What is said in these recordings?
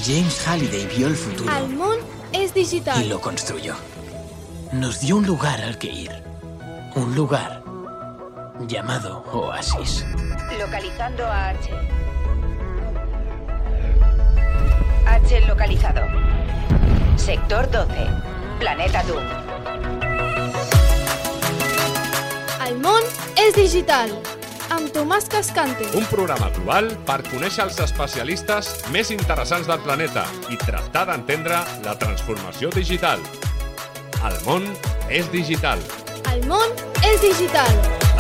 James Halliday vio el futuro. El món es digital. Y lo construyó. Nos dio un lugar al que ir. Un lugar llamado Oasis. Localizando a H. H localizado. Sector 12. Planeta Doom. El món és digital. Amb Tomàs Cascante. Un programa global per conèixer els especialistes més interessants del planeta i tractar d'entendre la transformació digital. El món és digital. El món és digital.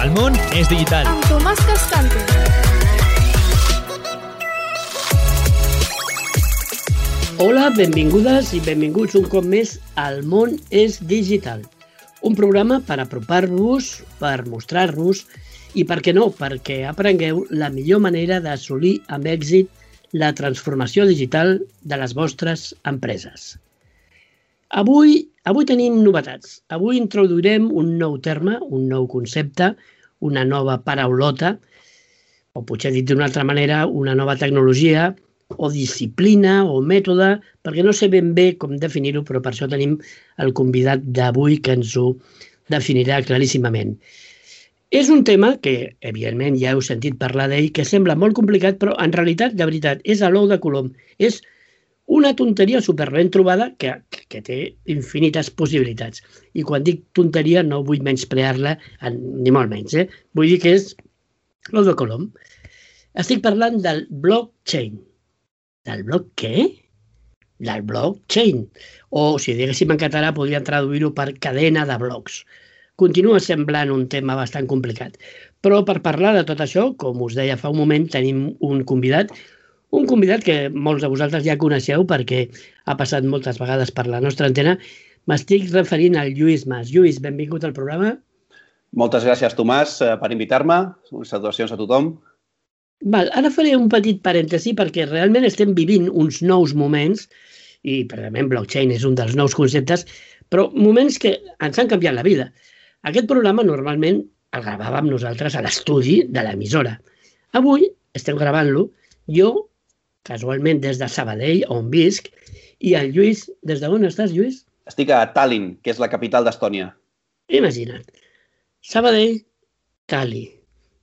El món és digital. Amb Tomàs Cascante. Hola, benvingudes i benvinguts un cop més al Món és Digital. Un programa per apropar-vos, per mostrar-vos i, per què no, perquè aprengueu la millor manera d'assolir amb èxit la transformació digital de les vostres empreses. Avui tenim novetats. Avui introduirem un nou terme, un nou concepte, una nova paraulota, o potser dit d'una altra manera, una nova tecnologia, o disciplina, o mètode, perquè no sé ben bé com definir-ho, però per això tenim el convidat d'avui que ens ho definirà claríssimament. És un tema que, evidentment, ja heu sentit parlar d'ell, que sembla molt complicat, però en realitat, de veritat, és a l'ou de colom. És una tonteria super ben trobada que té infinites possibilitats. I quan dic tonteria no vull menysprear-la, ni molt menys. Vull dir que és l'ou de colom. Estic parlant del blockchain. Del bloc què? Del blockchain. O, si diguéssim en català, podríem traduir-ho per cadena de blocs. Continua semblant un tema bastant complicat. Però per parlar de tot això, com us deia fa un moment, tenim un convidat que molts de vosaltres ja coneixeu perquè ha passat moltes vegades per la nostra antena. M'estic referint al Lluís Mas. Lluís, benvingut al programa. Moltes gràcies, Tomàs, per invitar-me. Salutacions a tothom. Ara faré un petit parèntesi perquè realment estem vivint uns nous moments i, precisament, blockchain és un dels nous conceptes, però moments que ens han canviat la vida. Aquest programa normalment el gravàvem nosaltres a l'estudi de l'emissora. Avui estem gravant-lo, jo, casualment des de Sabadell, on visc, i el Lluís, des d'on estàs, Lluís? Estic a Tallinn, que és la capital d'Estònia. Imagina't. Sabadell, Tallinn.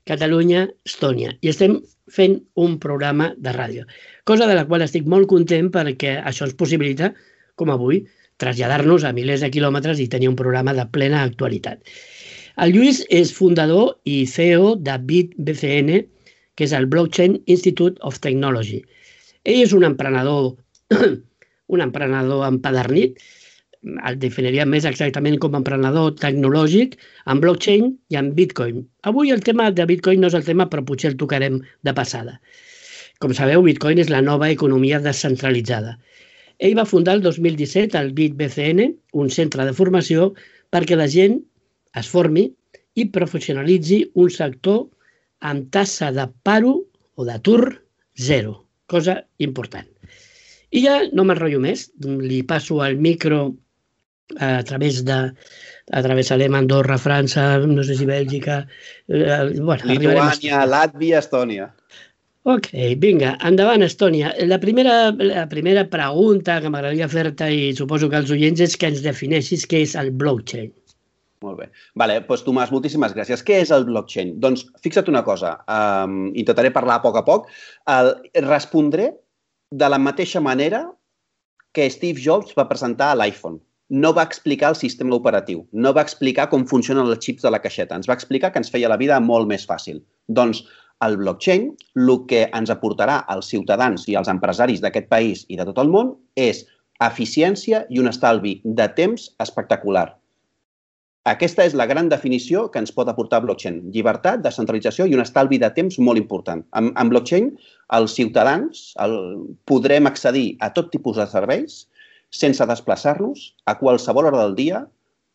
Catalunya, Estònia. I estem fent un programa de ràdio. Cosa de la qual estic molt content perquè això ens possibilita, com avui, traslladar-nos a milers de quilòmetres i tenir un programa de plena actualitat. El Lluís és fundador i CEO de BitBCN, que és el Blockchain Institute of Technology. Ell és un emprenedor empadernit, el definiria més exactament com a emprenedor tecnològic en blockchain i en Bitcoin. Avui el tema de Bitcoin no és el tema, però potser el tocarem de passada. Com sabeu, Bitcoin és la nova economia descentralitzada. Ell va fundar el 2017 el BitBCN, un centre de formació perquè la gent es formi i professionalitzi un sector amb taxa de paro o d'atur zero, cosa important. I ja no m'enrotllo més, li passo el micro atravessarem Andorra, França, no sé si Bèlgica... Lituània, Làtvia, Estònia. Ok, vinga, endavant, Estònia. La primera pregunta que m'agradaria fer-te, i suposo que els oients, és que ens defineixis què és el blockchain. Molt bé. Doncs, Tomàs, moltíssimes gràcies. Què és el blockchain? Doncs, fixa't una cosa, intentaré parlar a poc. Respondré de la mateixa manera que Steve Jobs va presentar l'iPhone. No va explicar el sistema operatiu, no va explicar com funcionen els xips de la caixeta, ens va explicar que ens feia la vida molt més fàcil. Doncs el blockchain, el que ens aportarà als ciutadans i als empresaris d'aquest país i de tot el món és eficiència i un estalvi de temps espectacular. Aquesta és la gran definició que ens pot aportar blockchain. Llibertat, descentralització i un estalvi de temps molt important. Amb blockchain, els ciutadans podrem accedir a tot tipus de serveis sense desplaçar-nos a qualsevol hora del dia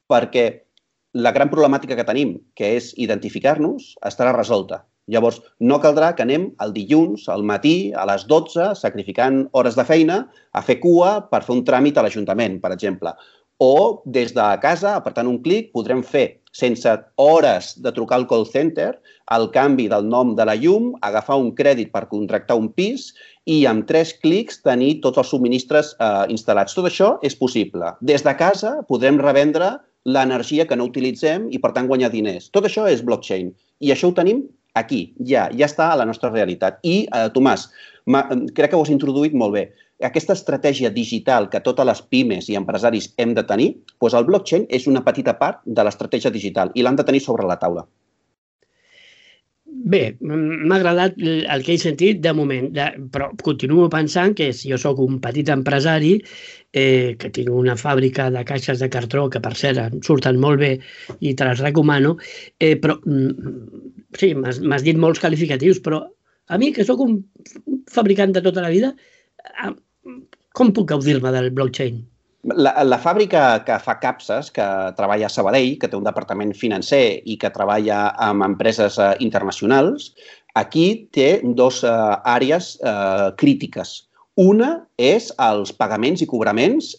perquè la gran problemàtica que tenim, que és identificar-nos, estarà resolta. Llavors, no caldrà que anem el dilluns, al matí, a les 12, sacrificant hores de feina, a fer cua per fer un tràmit a l'Ajuntament, per exemple. O des de casa, apretant un clic, podrem fer sense hores de trucar al call center, el canvi del nom de la llum, agafar un crèdit per contractar un pis i amb 3 clics tenir tots els subministres instal·lats. Tot això és possible. Des de casa podrem revendre l'energia que no utilitzem i, per tant, guanyar diners. Tot això és blockchain. I això ho tenim aquí, ja està a la nostra realitat. I, Tomàs, crec que ho has introduït molt bé. Aquesta estratègia digital que totes les pimes i empresaris hem de tenir, doncs el blockchain és una petita part de l'estratègia digital i l'han de tenir sobre la taula. Bé, m'ha agradat el que he sentit de moment, però continuo pensant que si jo sóc un petit empresari que tinc una fàbrica de caixes de cartró que, per cert, em surten molt bé i te les recomano, però sí, m'has dit molts qualificatius, però a mi, que sóc un fabricant de tota la vida, com puc gaudir-me del blockchain? La fàbrica que fa capses, que treballa a Sabadell, que té un departament financer i que treballa amb empreses internacionals, aquí té 2 àrees crítiques. Una és els pagaments i cobraments,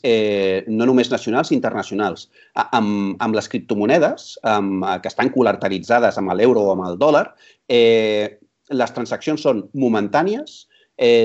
no només nacionals, internacionals. Amb les criptomonedes, que estan col·lateralitzades amb l'euro o amb el dòlar, les transaccions són momentànies,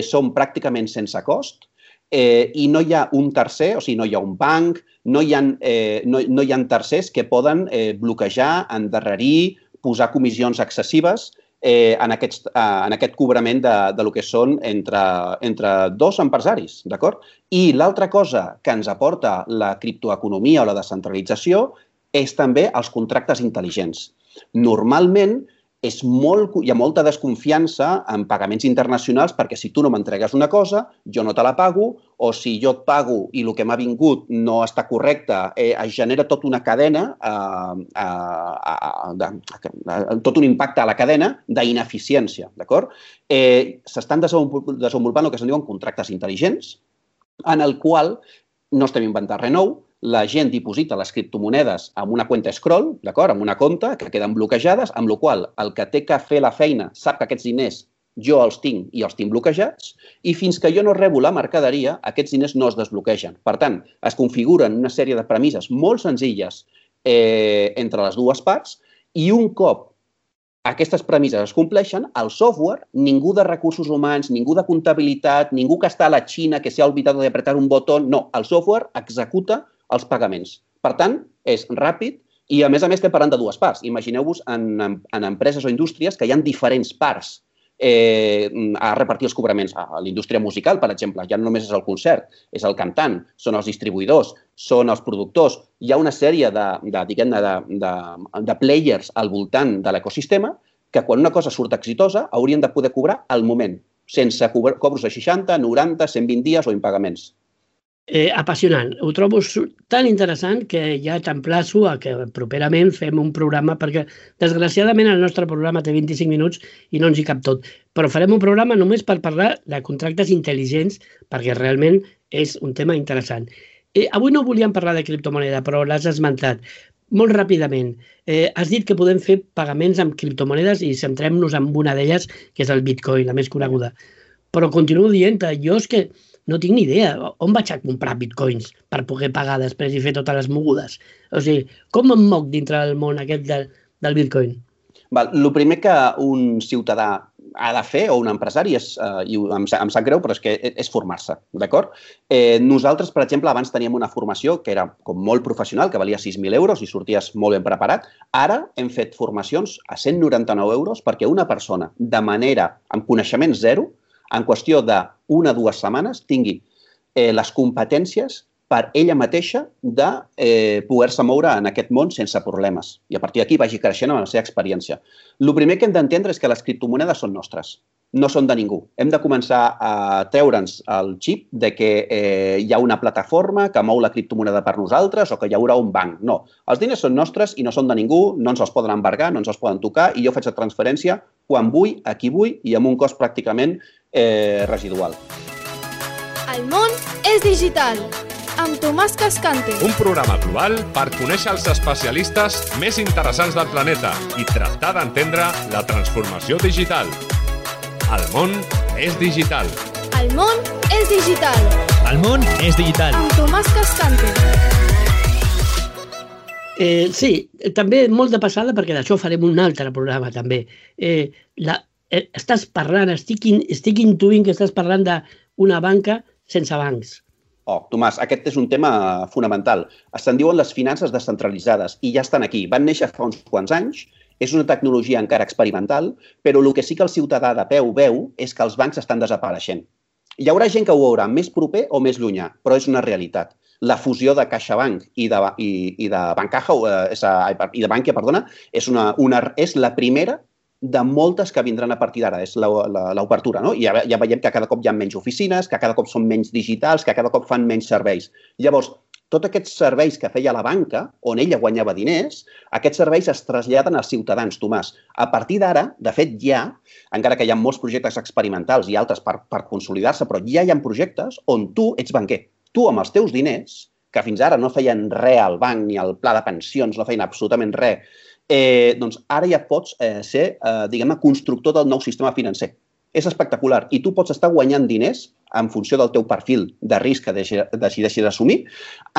són pràcticament sense cost, i no hi ha un tercer, o sigui, no hi ha un banc, no hi ha tercers que poden bloquejar, endarrerir, posar comissions excessives en aquest cobrament de lo que són entre 2 empresaris, d'acord? I l'altra cosa que ens aporta la criptoeconomia o la descentralització és també els contractes intel·ligents. Normalment, hi ha molta desconfiança en pagaments internacionals perquè si tu no m'entregues una cosa, jo no te la pago, o si jo et pago i el que m'ha vingut no està correcte, es genera tota una cadena, tot un impacte a la cadena d'ineficiència, d'acord? S'estan desenvolupant el que se'n diuen contractes intel·ligents, en el qual no estem inventant res nou, la gent diposita les criptomonedes en una cuenta scroll, d'acord, en una compta que queden bloquejades, amb la qual el que té que fer la feina sap que aquests diners jo els tinc i els tinc bloquejats i fins que jo no rebo la mercaderia, aquests diners no es desbloquegen. Per tant, es configuren una sèrie de premisses molt senzilles entre les dues parts i un cop aquestes premisses es compleixen, el software, ningú de recursos humans, ningú de comptabilitat, ningú que està a la Xina que s'ha oblidat de apretar un botó, no, el software executa els pagaments. Per tant, és ràpid i, a més estem parlant de dues parts. Imagineu-vos en empreses o indústries que hi ha diferents parts a repartir els cobraments. A la indústria musical, per exemple, ja no només és el concert, és el cantant, són els distribuïdors, són els productors. Hi ha una sèrie de players al voltant de l'ecosistema que quan una cosa surt exitosa haurien de poder cobrar al moment, sense cobros de 60, 90, 120 dies o impagaments. Apassionant. Ho trobo tan interessant que ja t'emplaço a que properament fem un programa, perquè desgraciadament el nostre programa té 25 minuts i no ens hi cap tot, però farem un programa només per parlar de contractes intel·ligents perquè realment és un tema interessant. Avui no volíem parlar de criptomoneda, però l'has esmentat. Molt ràpidament, has dit que podem fer pagaments amb criptomonedes i centrem-nos en una d'elles, que és el Bitcoin, la més coneguda. Però continuo dient-te, jo és que no tinc ni idea on vaig a comprar bitcoins per poder pagar després i fer totes les mogudes. O sigui, com em moc dintre del món aquest del bitcoin? El primer que un ciutadà ha de fer, o un empresari, i em sap greu, però és que és formar-se, d'acord? Nosaltres, per exemple, abans teníem una formació que era com molt professional, que valia 6.000 euros i sorties molt ben preparat. Ara hem fet formacions a 199 euros perquè una persona, de manera, amb coneixement zero, en qüestió d'1 o 2 setmanes, tingui les competències per ella mateixa de poder-se moure en aquest món sense problemes. I a partir d'aquí vagi creixent amb la seva experiència. El primer que hem d'entendre és que les criptomonedes són nostres, no són de ningú. Hem de començar a treure'ns el xip de que hi ha una plataforma que mou la criptomoneda per nosaltres o que hi haurà un banc. No, els diners són nostres i no són de ningú, no ens els poden embargar, no ens els poden tocar i jo faig la transferència quan vull, a qui vull i amb un cost pràcticament residual. El món és digital, amb Tomàs Cascante. Un programa global per conèixer els especialistes més interessants del planeta i tractar d'entendre la transformació digital. El món és digital. El món és digital. El món és digital. Amb Tomàs Cascante. Sí, també molt de passada, perquè d'això farem un altre programa, també. Estàs parlant, estic intuint que estàs parlant d'una banca sense bancs. Tomàs, aquest és un tema fonamental. Se'n diuen les finances descentralitzades i ja estan aquí. Van néixer fa uns quants anys, és una tecnologia encara experimental, però el que sí que el ciutadà de peu veu és que els bancs estan desapareixent. Hi haurà gent que ho veurà més proper o més llunyà, però és una realitat. La fusió de CaixaBank i de Bankia, és la primera de moltes que vindran a partir d'ara, és l'obertura, no? I ja veiem que cada cop hi ha menys oficines, que cada cop són menys digitals, que cada cop fan menys serveis. Llavors, tots aquests serveis que feia la banca, on ella guanyava diners, aquests serveis es traslladen als ciutadans, Tomàs. A partir d'ara, de fet, encara que hi ha molts projectes experimentals i altres per consolidar-se, però ja hi ha projectes on tu ets banquer. Tu, amb els teus diners, que fins ara no feien res al banc ni al pla de pensions, no feien absolutament res, doncs ara ja pots ser, diguem-ne, constructor del nou sistema financer. És espectacular. I tu pots estar guanyant diners en funció del teu perfil de risc que decideixis assumir,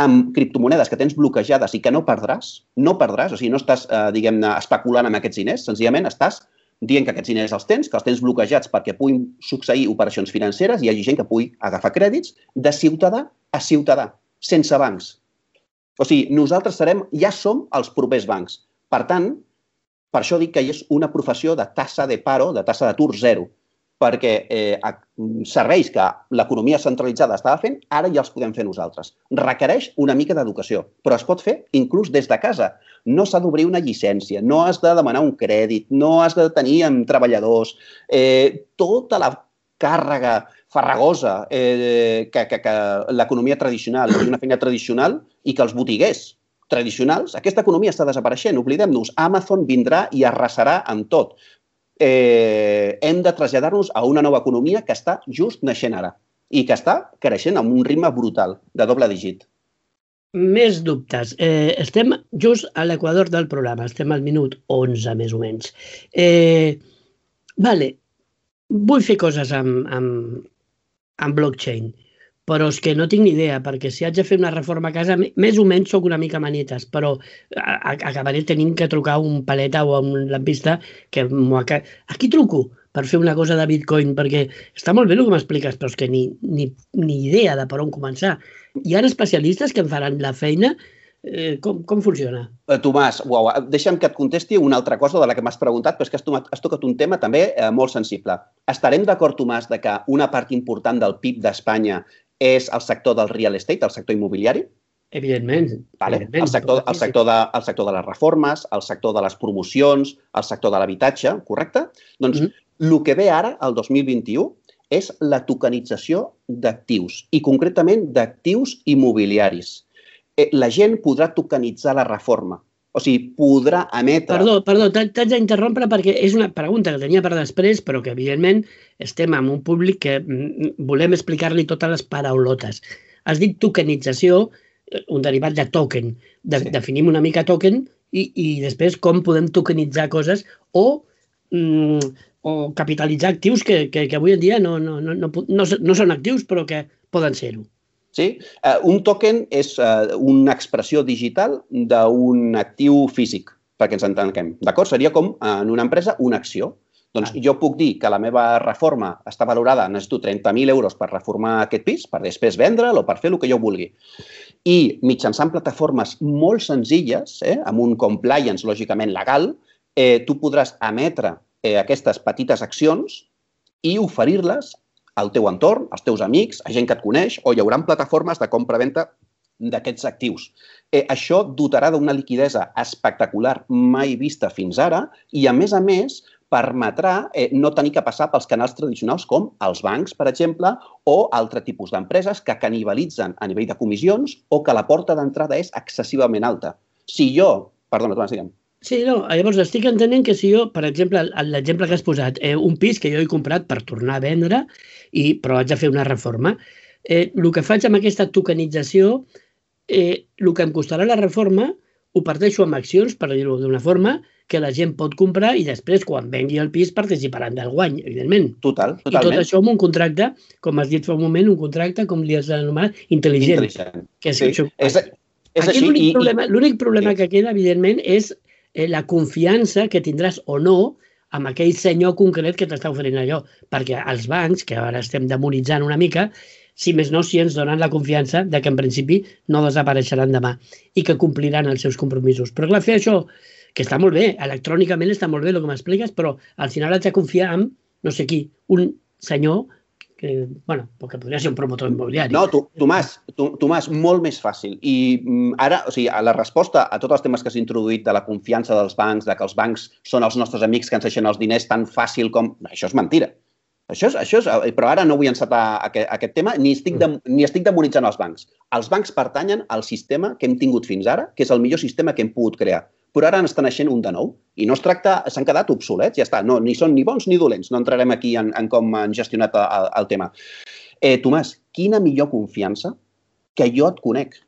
amb criptomonedes que tens bloquejades i que no perdràs, o sigui, no estàs, diguem-ne, especulant amb aquests diners, senzillament estàs dient que aquests diners els tens, que els tens bloquejats perquè puguin succeir operacions financeres i hi hagi gent que pugui agafar crèdits de ciutadà a ciutadà, sense bancs. O sigui, nosaltres ja som els propers bancs. Per tant, per això dic que és una professió de tassa de paro, de tassa d'atur zero, perquè serveis que l'economia centralitzada estava fent, ara ja els podem fer nosaltres. Requereix una mica d'educació, però es pot fer inclús des de casa. No s'ha d'obrir una llicència, no has de demanar un crèdit, no has de tenir treballadors, tota la càrrega farragosa que l'economia tradicional és una feina tradicional i que els botiguers tradicionals, aquesta economia està desapareixent, oblidem-nos. Amazon vindrà i arrasarà amb tot. Hem de traslladar-nos a una nova economia que està just naixent ara i que està creixent amb un ritme brutal, de doble dígit. Més dubtes. Estem just a l'equador del programa, estem al minut 11, més o menys. Vull fer coses amb blockchain, però és que no tinc ni idea, perquè si haig de fer una reforma a casa, més o menys soc una mica manietes, però acabaré tenint que trucar un paleta o un lampista que a qui truco per fer una cosa de Bitcoin? Perquè està molt bé el que m'expliques, però és que ni idea de per on començar. Hi ha especialistes que em faran la feina. Com funciona? Tomàs, deixa'm que et contesti una altra cosa de la que m'has preguntat, però és que has tocat un tema també molt sensible. Estarem d'acord, Tomàs, que una part important del PIB d'Espanya és el sector del real estate, el sector immobiliari? Evidentment. El sector de les reformes, el sector de les promocions, el sector de l'habitatge, correcte? Doncs el que ve ara, el 2021, és la tokenització d'actius, i concretament d'actius immobiliaris. La gent podrà tokenitzar la reforma. O sigui, podrà emetre... Perdó, t'haig d'interrompre perquè és una pregunta que tenia per després, però que, evidentment, estem amb un públic que volem explicar-li totes les paraulotes. Has dit tokenització, un derivat de token. Definim una mica token i després com podem tokenitzar coses o capitalitzar actius que avui en dia no són actius, però que poden ser-ho. Sí? Un token és una expressió digital d'un actiu físic, perquè ens entenguem. D'acord? Seria com en una empresa una acció. Doncs jo puc dir que la meva reforma està valorada, necessito 30.000 euros per reformar aquest pis, per després vendre'l o per fer el que jo vulgui. I mitjançant plataformes molt senzilles, amb un compliance lògicament legal, tu podràs emetre aquestes petites accions i oferir-les al teu entorn, als teus amics, a gent que et coneix, o hi haurà plataformes de compra-venda d'aquests actius. Això dotarà d'una liquidesa espectacular mai vista fins ara i, a més, permetrà no tenir que passar pels canals tradicionals com els bancs, per exemple, o altre tipus d'empreses que canibalitzen a nivell de comissions o que la porta d'entrada és excessivament alta. Si jo... Perdona, Tomàs, digue'm. Sí, llavors estic entenent que si jo, per exemple, l'exemple que has posat, un pis que jo he comprat per tornar a vendre, però haig de fer una reforma, el que faig amb aquesta tokenització, el que em costarà la reforma, ho parteixo amb accions, per dir-ho d'una forma, que la gent pot comprar i després, quan vengui el pis, participaran del guany, evidentment. Totalment. I tot això amb un contracte, com has dit fa un moment, un contracte, com li has anomenat, intel·ligent. És Aquí així. l'únic problema que queda, evidentment, és la confiança que tindràs o no amb aquell senyor concret que t'està oferint allò. Perquè els bancs, que ara estem demonitzant una mica, si més no, si ens donen la confiança de que en principi no desapareixeran demà i que compliran els seus compromisos. Però clar, fer això, que està molt bé, electrònicament està molt bé el que m'expliques, però al final haig de confiar en, no sé qui, un senyor que, bueno, que podria ser un promotor immobiliari. No, Tomàs, molt més fàcil. I ara, o sigui, la resposta a tots els temes que s'ha introduït de la confiança dels bancs, de que els bancs són els nostres amics que ens deixen els diners tan fàcil com... Això és mentira. Això és, però ara no vull encetar aquest tema, ni estic demonitzant els bancs. Els bancs pertanyen al sistema que hem tingut fins ara, que és el millor sistema que hem pogut crear. Però ara n'està naixent un de nou. I no es tracta... S'han quedat obsolets, ja està. No, ni són ni bons ni dolents. No entrarem aquí en com han gestionat el tema. Tomàs, quina millor confiança que jo et conec.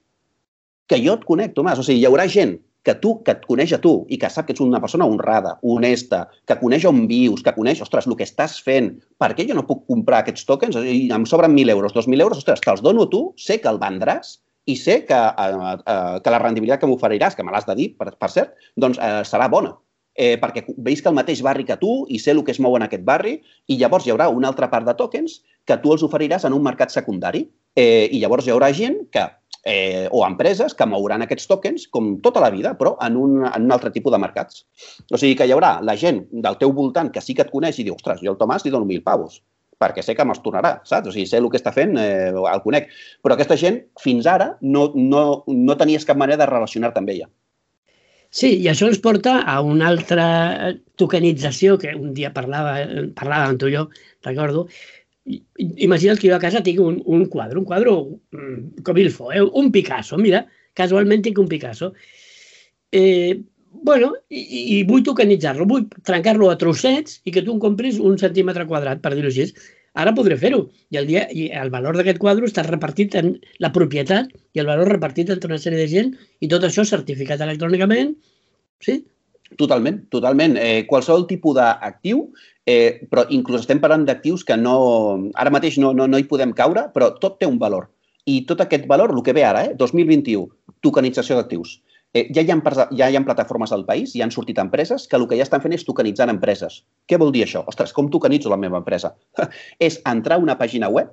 Que jo et conec, Tomàs. O sigui, hi haurà gent que et coneix a tu i que sap que ets una persona honrada, honesta, que coneix on vius, que coneix, ostres, el que estàs fent. Per què jo no puc comprar aquests tokens? Em sobren 1.000 euros, 2.000 euros, ostres, te'ls dono a tu, sé que el vendràs i sé que la rendibilitat que m'oferiràs, que me l'has de dir, per cert, doncs serà bona. Perquè veus que el mateix barri que tu i sé el que es mou en aquest barri i llavors hi haurà una altra part de tokens que tu els oferiràs en un mercat secundari. I llavors hi haurà gent que o empreses que mouran aquests tokens com tota la vida, però en un altre tipus de mercats. O sigui que hi haurà la gent del teu voltant que sí que et coneix i diu, ostres, jo al Tomàs li dono 1.000 pavos, perquè sé que me'ls tornarà, saps? O sigui, sé el que està fent, el conec. Però aquesta gent, fins ara, no tenies cap manera de relacionar-te amb ella. Sí, i això ens porta a una altra tokenització que un dia parlàvem tu i jo, recordo. Imagina't que jo a casa tinc un quadre com il faut, un Picasso. Mira, casualment tinc un Picasso. Bueno, i vull tokenitzar-lo, vull trencar-lo a trossets i que tu em compris 1 centímetre quadrat, per dir-ho així. Ara podré fer-ho. I el valor d'aquest quadre està repartit en la propietat i el valor repartit entre una sèrie de gent i tot això certificat electrònicament. Sí? Totalment. Qualsevol tipus d'actiu, però inclús estem parlant d'actius que ara mateix no hi podem caure, però tot té un valor. I tot aquest valor, el que ve ara, 2021, tokenització d'actius. Ja hi ha plataformes al país, ja han sortit empreses que el que ja estan fent és tokenitzar empreses. Què vol dir això? Ostres, com tokenitzo la meva empresa? És entrar a una pàgina web,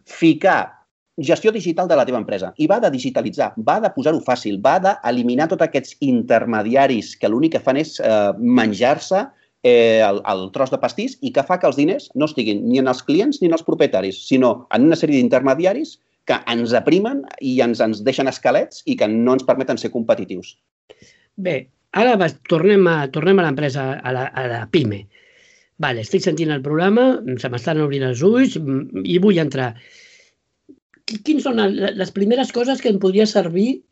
ficar gestió digital de la teva empresa i va de digitalitzar, va de posar-ho fàcil, va d'eliminar tots aquests intermediaris que l'únic que fan és menjar-se el tros de pastís i que fa que els diners no estiguin ni en els clients ni en els propietaris, sinó en una sèrie d'intermediaris que ens aprimen i ens deixen esquelets i que no ens permeten ser competitius. Bé, ara tornem a l'empresa, a la PIME. Vale, estic sentint el programa, se m'estan obrint els ulls i vull entrar. Quines són les primeres coses que em podria servir?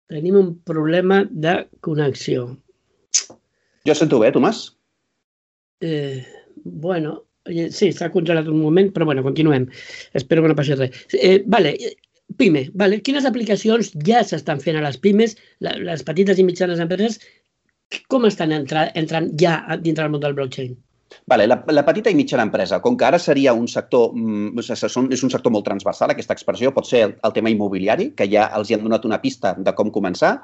Tenim un problema de connexió. Jo sento bé, Tomàs? Bueno... Sí, s'ha congelat un moment, però bueno, continuem. Espero que no passi res. Vale, PIME, vale. Quines aplicacions ja s'estan fent a les PIMEs, les petites i mitjanes empreses, com estan entrant ja dintre del món del blockchain? Vale, la petita i mitjana empresa, com que ara seria un sector, és un sector molt transversal, aquesta expressió, pot ser el tema immobiliari, que ja els hi han donat una pista de com començar,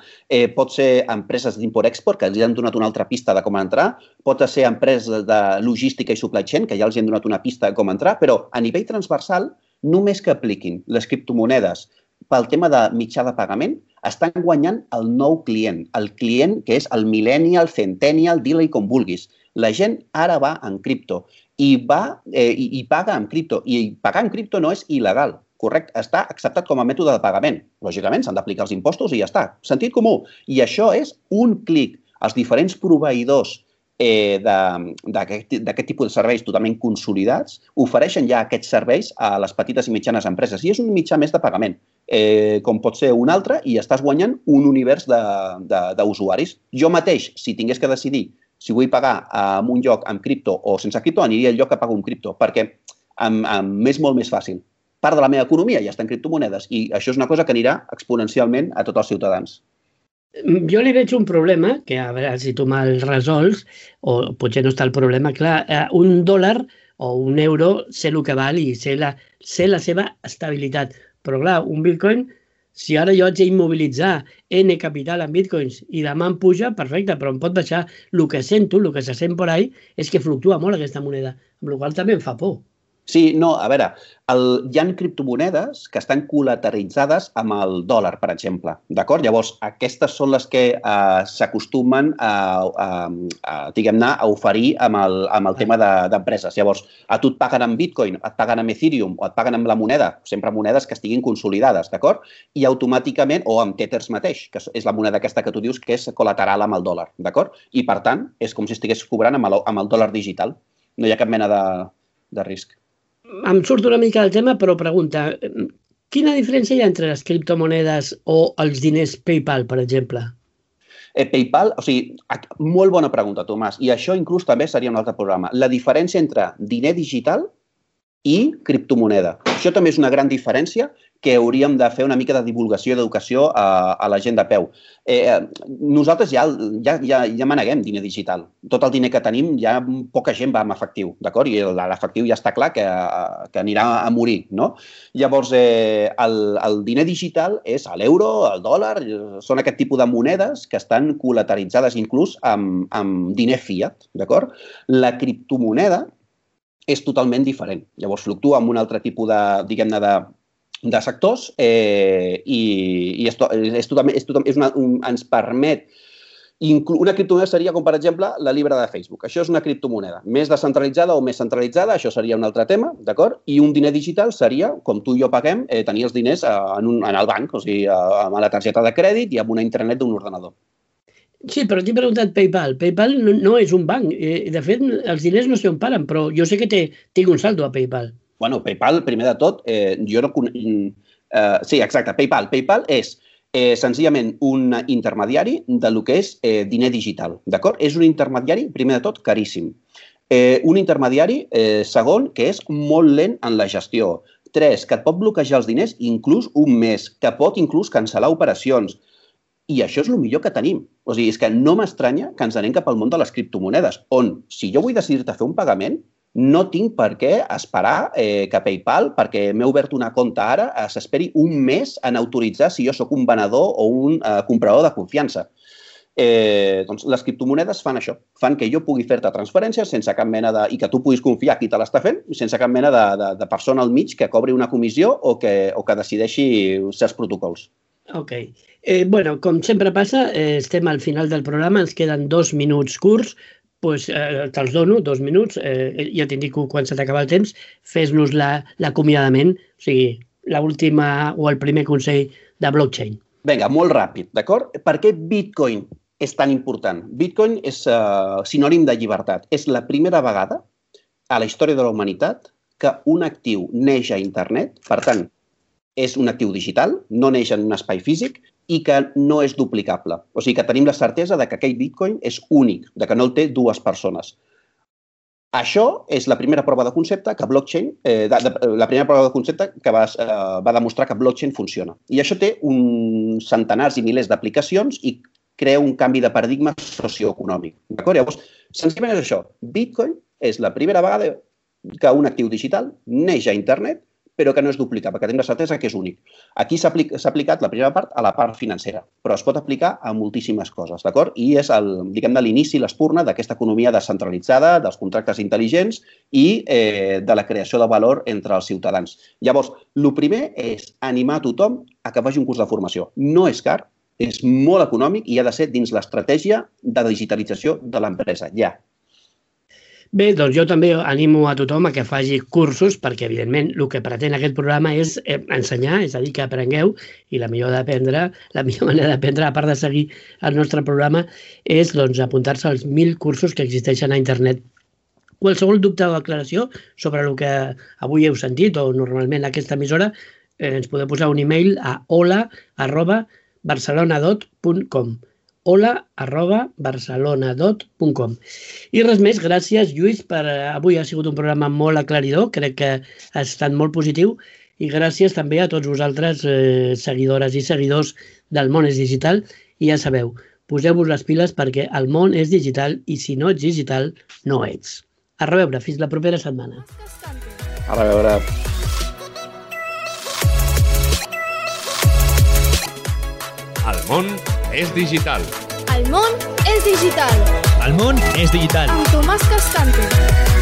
pot ser empreses d'import-export, que els hi han donat una altra pista de com entrar, pot ser empreses de logística i supply chain, que ja els hi han donat una pista de com entrar, però a nivell transversal, només que apliquin les criptomonedes pel tema de mitjà de pagament, estan guanyant el nou client, el client que és el millennial, centennial, dila-hi com vulguis. La gent ara va en cripto i paga en cripto. I pagar en cripto no és il·legal, correcte? Està acceptat com a mètode de pagament. Lògicament, s'han d'aplicar els impostos i ja està. Sentit comú. I això és un clic. Els diferents proveïdors d'aquest tipus de serveis totalment consolidats ofereixen ja aquests serveis a les petites i mitjanes empreses. I és un mitjà més de pagament, com pot ser un altre, i estàs guanyant un univers d'usuaris. Jo mateix, si tingués que decidir si vull pagar en un lloc amb cripto o sense cripto, aniria al lloc que pago amb cripto, perquè m'és molt més fàcil. Part de la meva economia ja està en criptomonedes i això és una cosa que anirà exponencialment a tots els ciutadans. Jo li veig un problema, que a veure si tu me'l resols, o potser no està el problema, clar, $1 o €1 sé el que val i sé la seva estabilitat, però clar, un bitcoin Si ara jo haig d'immobilitzar N capital en bitcoins i demà em puja, perfecte, però em pot baixar. El que sento, el que se sent por ahí, és que fluctua molt aquesta moneda, amb la qual cosa també em fa por. Sí, no, a veure, hi ha criptomonedes que estan col·lateralitzades amb el dòlar, per exemple, d'acord? Llavors, aquestes són les que s'acostumen diguem-ne, a oferir amb el tema d'empreses. Llavors, a tu et paguen en Bitcoin, et paguen en Ethereum o et paguen amb la moneda, sempre monedes que estiguin consolidades, d'acord? I automàticament, o amb Tethers mateix, que és la moneda aquesta que tu dius que és col·lateral amb el dòlar, d'acord? I, per tant, és com si estigués cobrant amb el dòlar digital. No hi ha cap mena de risc. Em surt una mica del tema, però pregunta, quina diferència hi ha entre les criptomonedes o els diners PayPal, per exemple? PayPal, o sigui, molt bona pregunta, Tomàs, i això inclús també seria un altre programa. La diferència entre diner digital i criptomoneda. Això també és una gran diferència que hauríem de fer una mica de divulgació i d'educació a la gent de peu. Nosaltres ja maneguem diner digital. Tot el diner que tenim, ja poca gent va amb efectiu, d'acord? I l'efectiu ja està clar que anirà a morir, no? Llavors, el diner digital és l'euro, el dòlar, són aquest tipus de monedes que estan col·lateralitzades inclús amb diner fiat, d'acord? La criptomoneda és totalment diferent. Llavors, fluctua amb un altre tipus de sectors i ens permet... Una criptomoneda seria com, per exemple, la Libra de Facebook. Això és una criptomoneda. Més descentralitzada o més centralitzada, això seria un altre tema, d'acord? I un diner digital seria, com tu i jo paguem, tenir els diners en el banc, o sigui, amb la targeta de crèdit i amb una intranet d'un ordenador. Sí, però t'he preguntat PayPal. PayPal no és un banc. De fet, els diners no sé on paren, però jo sé que tinc un saldo a PayPal. Bueno, PayPal, primer de tot, jo no... Sí, exacte, PayPal. PayPal és senzillament un intermediari del que és diner digital, d'acord? És un intermediari, primer de tot, caríssim. Un intermediari, segon, que és molt lent en la gestió. 3, que et pot bloquejar els diners inclús un mes, que pot inclús cancel·lar operacions. I això és el millor que tenim. O sigui, és que no m'estranya que ens anem cap al món de les criptomonedes, on, si jo vull decidir-te fer un pagament, no tinc per què esperar que PayPal, perquè m'he obert una compta ara, s'esperi un mes en autoritzar si jo sóc un venedor o un comprador de confiança. Doncs les criptomonedes fan això, fan que jo pugui fer-te transferències sense cap mena i que tu puguis confiar qui te l'està fent, sense cap mena de persona al mig que cobri una comissió o que decideixi certs protocols. Ok. Bueno, com sempre passa, estem al final del programa, ens queden 2 minuts curts, doncs te'ls dono, 2 minuts, ja t'indico quan se t'acaba el temps, fes-nos l'acomiadament, o sigui, l'última o el primer consell de blockchain. Vinga, molt ràpid, d'acord? Per què Bitcoin és tan important? Bitcoin és sinònim de llibertat. És la primera vegada a la història de la humanitat que un actiu neix a internet, per tant, és un actiu digital, no neix en un espai físic i que no és duplicable. O sigui que tenim la certesa de que aquell Bitcoin és únic, de que no el té 2 persones. Això és la primera prova de concepte que blockchain, la primera prova de concepte que va demostrar que blockchain funciona. I això té centenars i milers d'aplicacions i crea un canvi de paradigma socioeconòmic. D'acord? Llavors, senzillament és això. Bitcoin és la primera vegada que un actiu digital neix a internet però que no és duplicable, que tenim la certesa que és únic. Aquí s'ha aplicat la primera part a la part financera, però es pot aplicar a moltíssimes coses, d'acord? I és, diguem-ne, l'inici, l'espurna d'aquesta economia descentralitzada, dels contractes intel·ligents i de la creació de valor entre els ciutadans. Llavors, el primer és animar a tothom a que faci un curs de formació. No és car, és molt econòmic i ha de ser dins l'estratègia de digitalització de l'empresa, ja. Bé, doncs jo també animo a tothom a que faci cursos perquè, evidentment, el que pretén aquest programa és ensenyar, és a dir, que aprengueu i la millor manera d'aprendre, a part de seguir el nostre programa, és apuntar-se als 1.000 cursos que existeixen a internet. Qualsevol dubte o aclaració sobre el que avui heu sentit o normalment a aquesta emissora, ens podeu posar un e-mail a hola@barcelonadot.com hola@barcelonadot.com. I res més, gràcies, Lluís, avui ha sigut un programa molt aclaridor, crec que ha estat molt positiu, i gràcies també a tots vosaltres, seguidores i seguidors del Món és Digital, i ja sabeu, poseu-vos les piles perquè el món és digital i si no ets digital, no ets. A reveure, fins la propera setmana. A reveure. món és digital. El món és digital. El món és digital. Amb Tomàs Cascante.